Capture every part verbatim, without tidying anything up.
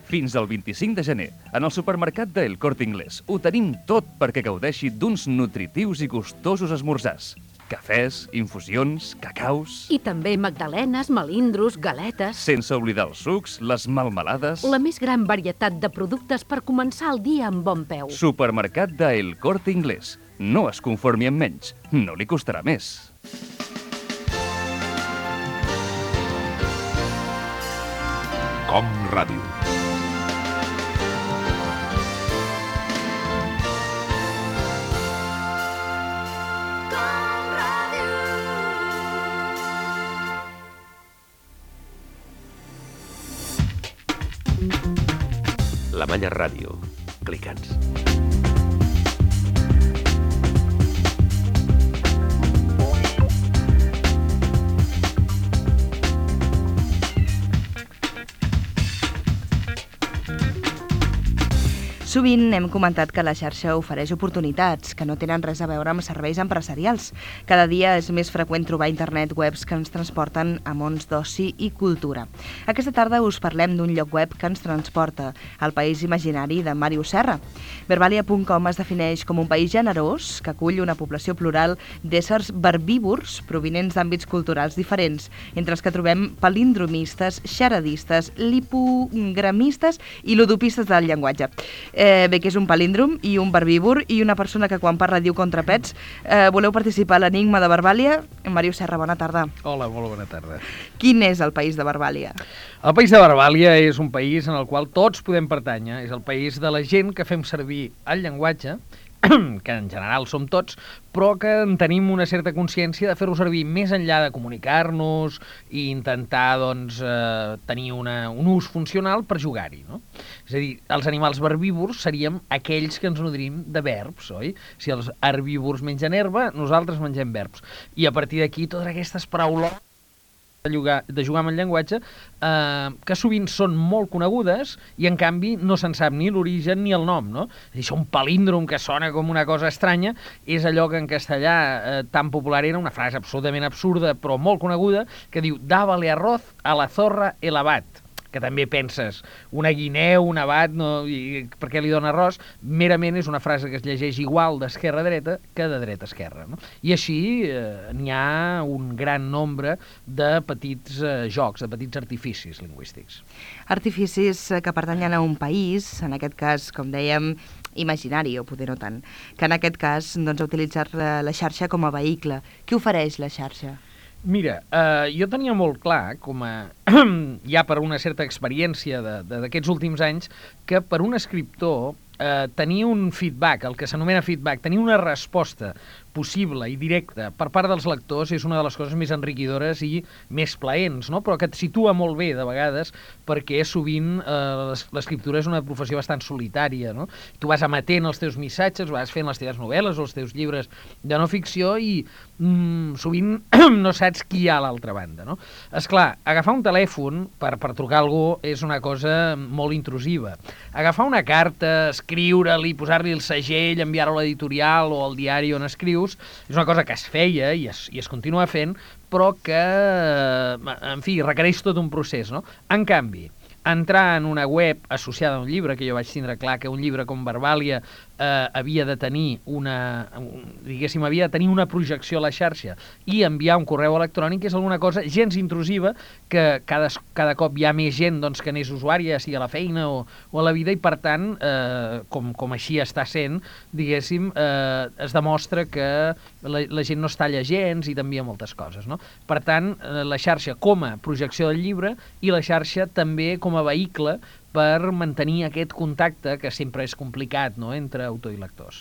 Fins al vint-i-cinc de gener, en el supermercat de El Corte Inglés, ho tenim tot perquè gaudeixi d'uns nutritius i gustosos esmorzars. Cafès, infusions, cacaus... I també magdalenes, melindros, galetes... Sense oblidar els sucs, les melmelades... La més gran varietat de productes per començar el dia amb bon peu. Supermercat de El Corte Inglés. No es conformi amb menys, no li costarà més. Com Ràdio. La Manya Ràdio. Clica'ns. Sovint hem comentat que la xarxa ofereix oportunitats que no tenen res a veure amb serveis empresarials. Cada dia és més freqüent trobar a internet webs que ens transporten a mons d'oci i cultura. Aquesta tarda us parlem d'un lloc web que ens transporta al país imaginari de Màrius Serra. Verbalia punt com es defineix com un país generós que acull una població plural d'éssers verbívors provinents d'àmbits culturals diferents, entre els que trobem palindromistes, xaradistes, lipogramistes i ludopistes del llenguatge. Eh, bé, que és un palíndrom i un verbívor i una persona que quan parla diu contrapets. Eh, voleu participar a l'Enigma de Verbàlia? Màrius Serra, bona tarda. Hola, molt bona tarda. Quin és el país de Verbàlia? El país de Verbàlia és un país en el qual tots podem pertànyer. És el país de la gent que fem servir el llenguatge, que en general som tots, però que en tenim una certa consciència de fer-ho servir més enllà de comunicar-nos i intentar doncs, eh, tenir una, un ús funcional per jugar-hi, no? És a dir, els animals verbívors seríem aquells que ens nodrim de verbs, oi? Si els herbívors mengen herba, nosaltres mengem verbs. I a partir d'aquí, totes aquestes paraules de jugar, de jugar amb el llenguatge, eh, que sovint són molt conegudes i en canvi no se'n sap ni l'origen ni el nom, no? És a dir, això un palíndrom que sona com una cosa estranya és allò que en castellà eh, tan popular era una frase absolutament absurda però molt coneguda que diu «Dávale arroz a la zorra el abat», que també penses, una guineu, un abat, no, i per què li dona arròs? Merament és una frase que es llegeix igual d'esquerra a dreta que de dreta a esquerra, no? I així eh, n'hi ha un gran nombre de petits eh, jocs, de petits artificis lingüístics. Artificis que pertanyen a un país, en aquest cas, com dèiem, imaginari, o poder no tant, que en aquest cas doncs, ha utilitzat la xarxa com a vehicle. Què ofereix la xarxa? Mira, eh, jo tenia molt clar, com a, ja per una certa experiència d'aquests últims anys, que per un escriptor eh, tenir un feedback, el que s'anomena feedback, tenir una resposta possible i directa per part dels lectors és una de les coses més enriquidores i més plaents, no? Però que et situa molt bé de vegades perquè sovint eh, l'escriptura és una professió bastant solitària, no? Tu vas emetent els teus missatges, vas fent les teves novel·les o els teus llibres de no ficció i mm, sovint no saps qui hi ha a l'altra banda, no? Esclar, agafar un telèfon per, per trucar a algú és una cosa molt intrusiva. Agafar una carta, escriure-li, posar-li el segell, enviar-ho a l'editorial o al diari on escrius, és una cosa que es feia i es, i es continua fent, però que, en fi, requereix tot un procés, no? En canvi, entrar en una web associada a un llibre, que jo vaig tindre clar que un llibre com Verbàlia eh, havia de tenir una, un, diguéssim, havia de tenir una projecció a la xarxa i enviar un correu electrònic és alguna cosa gens intrusiva que cada, cada cop hi ha més gent doncs, que n'és usuària, sigui a la feina o, o a la vida, i per tant, eh, com, com així està sent, diguéssim, eh, es demostra que la, la gent no es talla gens i t'envia moltes coses, no? Per tant, eh, la xarxa com a projecció del llibre i la xarxa també com a vehicle per mantenir aquest contacte que sempre és complicat, no?, entre autor i lectors.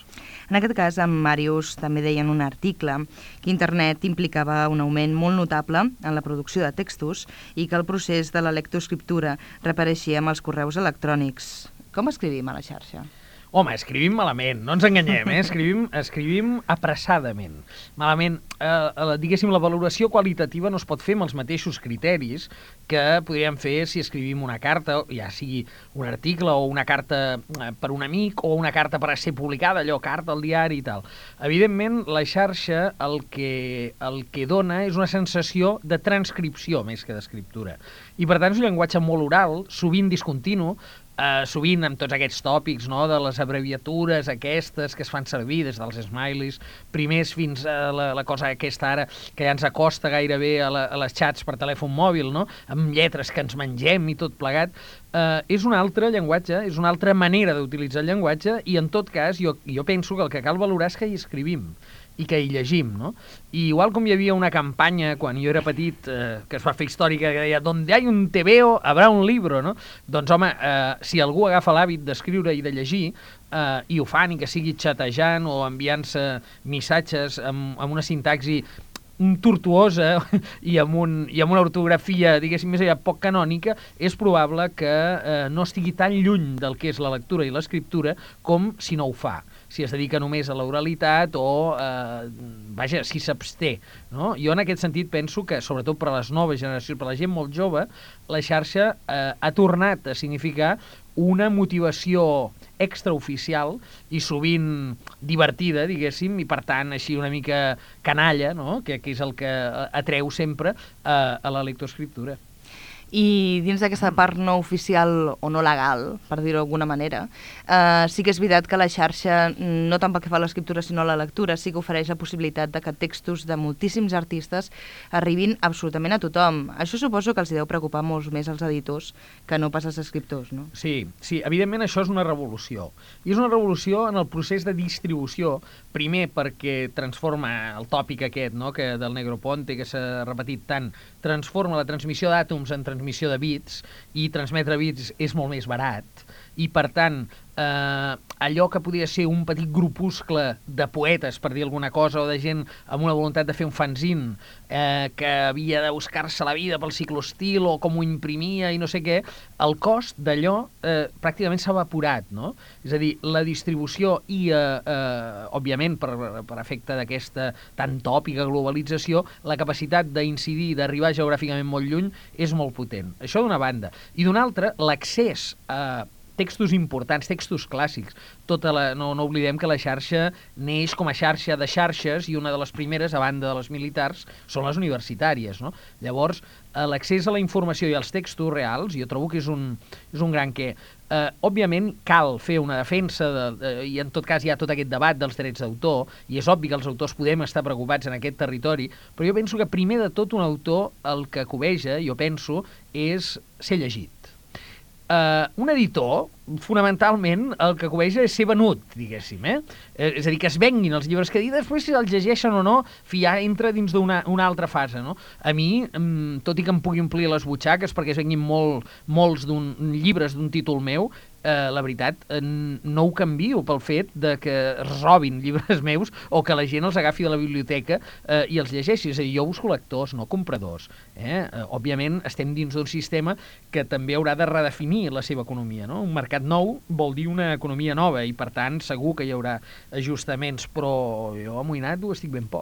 En aquest cas, en Màrius també deia en un article que internet implicava un augment molt notable en la producció de textos i que el procés de la lectoescriptura reapareixia amb els correus electrònics. Com escrivim a la xarxa? Home, escrivim malament, no ens enganyem, eh? Escrivim, escrivim apressadament. Malament, eh, diguéssim, la valoració qualitativa no es pot fer amb els mateixos criteris que podríem fer si escrivim una carta, ja sigui un article o una carta per un amic o una carta per a ser publicada, allò, carta al diari i tal. Evidentment, la xarxa el que, el que dona és una sensació de transcripció més que d'escriptura. I, per tant, és un llenguatge molt oral, sovint discontinu, eh, sovint amb tots aquests tòpics, no?, de les abreviatures aquestes que es fan servir des dels smileys, primers fins a la, la cosa aquesta ara que ja ens acosta gairebé a, la, a les xats per telèfon mòbil, no?, amb lletres que ens mengem i tot plegat, eh, és un altre llenguatge, és una altra manera d'utilitzar el llenguatge i en tot cas jo, jo penso que el que cal valorar és que hi escrivim i que hi llegim, no? I igual com hi havia una campanya quan jo era petit, eh, que es va fer històrica, que deia «Donde hay un tebeo, habrá un libro», no? Doncs, home, eh, si algú agafa l'hàbit d'escriure i de llegir, eh, i ho fan, i que sigui xatejant o enviant-se missatges amb, amb una sintaxi tortuosa i amb, un, i amb una ortografia, diguéssim, més allà poc canònica, és probable que eh, no estigui tan lluny del que és la lectura i l'escriptura com si no ho fa, si es dedica només a l'oralitat o, eh, vaja, si s'absté, no? Jo en aquest sentit penso que, sobretot per a les noves generacions, per a la gent molt jove, la xarxa eh, ha tornat a significar una motivació extraoficial i sovint divertida, diguéssim, i per tant així una mica canalla, no?, que, que és el que atreu sempre a, a la lectoescriptura. I dins d'aquesta part no oficial o no legal, per dir-ho d'alguna manera, eh, sí que és veritat que la xarxa, no tant pel que fa a l'escriptura sinó a la lectura, sí que ofereix la possibilitat de que textos de moltíssims artistes arribin absolutament a tothom. Això suposo que els deu preocupar molt més als editors que no pas als escriptors, no? Sí, sí, evidentment això és una revolució. I és una revolució en el procés de distribució, primer perquè transforma el tòpic aquest, no?, que del Negroponte, que s'ha repetit tant, transforma la transmissió d'àtoms en transmissió de bits, i transmetre bits és molt més barat, i per tant eh, allò que podia ser un petit grupuscle de poetes, per dir alguna cosa, o de gent amb una voluntat de fer un fanzine eh, que havia de buscar-se la vida pel ciclostil o com ho imprimia i no sé què, el cost d'allò eh, pràcticament s'ha evaporat, no? És a dir, la distribució i, eh, eh, òbviament, per, per efecte d'aquesta tan tòpica globalització, la capacitat d'incidir, d'arribar geogràficament molt lluny, és molt potent. Això d'una banda. I d'una altra, l'accés a textos importants, textos clàssics. Tota la, no, no oblidem que la xarxa neix com a xarxa de xarxes i una de les primeres, a banda de les militars, són les universitàries, no? Llavors, l'accés a la informació i als textos reals, jo trobo que és un, és un gran què. Eh, òbviament, cal fer una defensa, de, de, i en tot cas hi ha tot aquest debat dels drets d'autor, i és obvi que els autors podem estar preocupats en aquest territori, però jo penso que primer de tot un autor el que cobeja, jo penso, és ser llegit. Uh, un editor, fonamentalment, el que cobeja és ser venut, diguéssim, eh? eh? És a dir, que es venguin els llibres que dir, després si els llegeixen o no, ja entra dins d'una una altra fase, no? A mi, um, tot i que em pugui omplir les butxaques perquè es venguin molt, molts d'un, llibres d'un títol meu, eh, la veritat, eh, no ho canvio pel fet de que es robin llibres meus o que la gent els agafi de la biblioteca eh, i els llegeixi. És a dir, jo busco lectors, no compradors. Eh? Eh, òbviament, estem dins d'un sistema que també haurà de redefinir la seva economia, no? Un mercat nou vol dir una economia nova i, per tant, segur que hi haurà ajustaments, però jo amoïnat ho estic ben poc.